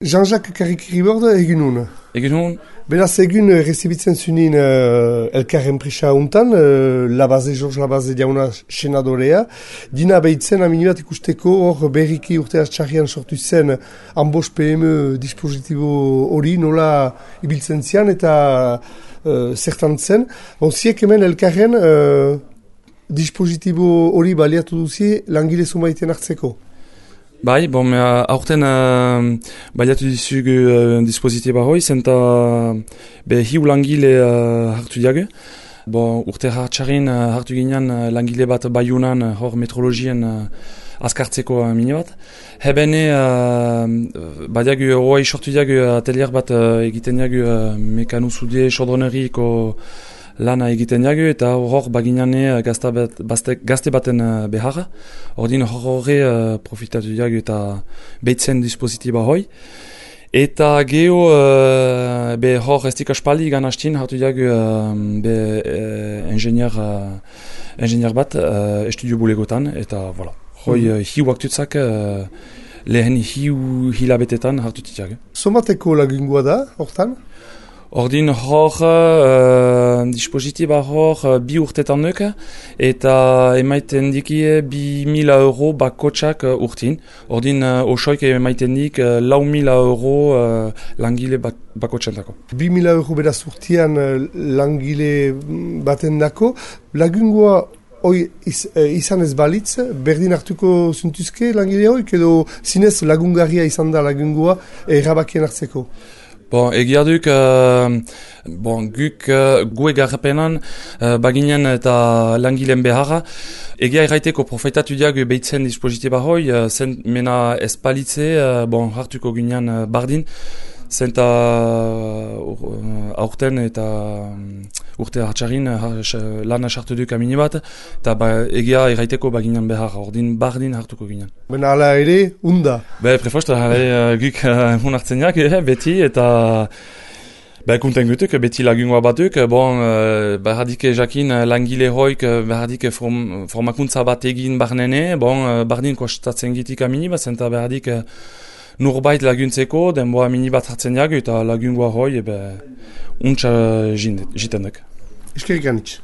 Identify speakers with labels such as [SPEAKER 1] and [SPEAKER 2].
[SPEAKER 1] Jean-Jacques Carrick-Ribord egun hon.
[SPEAKER 2] Egun hon?
[SPEAKER 1] Beraz egun rezibitzen zunin elkarren prisa untan, George Labaze jauna senadorea. Dina behitzen amini bat ikusteko hor berriki urte txarrian sortu zen Ambos PM dispositibo hori nola ibiltzen zian eta zertan zen. Ziek hemen elkarren dispositibo hori baliatu duzi langile zumaiten hartzeko.
[SPEAKER 2] Bai, aurten baliatu dizugu dispositiba hoi, zenta hiu langile hartu diagu. Urte hartxarin hartu ginean langile bat Baiunan hor metrologien azkartzeko mini bat. Hebene badiagu hoi sortu diagu atelier bat egiten diagu mekanuzude sodroneriko lana egiten jagu eta hor baginane gazte baten beharra. Ordin horre profitatu jagu eta behitzen dispositiba hoi. Eta geho hor estik aspaldi gan hastin hartu jagu ingenier bat estudio bulegotan eta voilà. Hoi hiu aktutzak lehen hiu hilabetetan hartu jagu.
[SPEAKER 1] Somateko lagungua da, hortan?
[SPEAKER 2] Ordin hor dispositiba hor 2 urtetan nuk eta emaiten dikie 2.000 euro bakotsak urtin. Ordin osoik emaiten dik 4.000 euro langile bakotsentako.
[SPEAKER 1] 2.000 euro beraz urtian langile baten dako. Lagungua hoi izan ez balitz, berdin hartuko zuntuzke langile hoi, edo zinez lagungarria izan da lagungua erabakien hartzeko?
[SPEAKER 2] Egia duk, guk gue garrapenan baginen eta langileen beharra. Egia erraiteko profitatu diagu behitzen dispositiba hoi, zen mena espalitze, hartuko ginean bardin, zenta aurten eta urte hartxarin lana sartu duk amini bat, eta egia erraiteko baginen beharra, ordin bardin hartuko ginean.
[SPEAKER 1] Bena ala ere, unda?
[SPEAKER 2] Prefost, guk hun hartzen jak, beti, eta kunten gutuk, beti lagungua batuk, behardike jakin langile hoik, behardike formakuntza bat egin barnene, bardin kostatzen gitik amini bat, zenta behardik nurbait laguntzeko, denboa mini bat hartzen jagu eta lagungua hoi, untsa jitendek.
[SPEAKER 1] Eskerik anitz.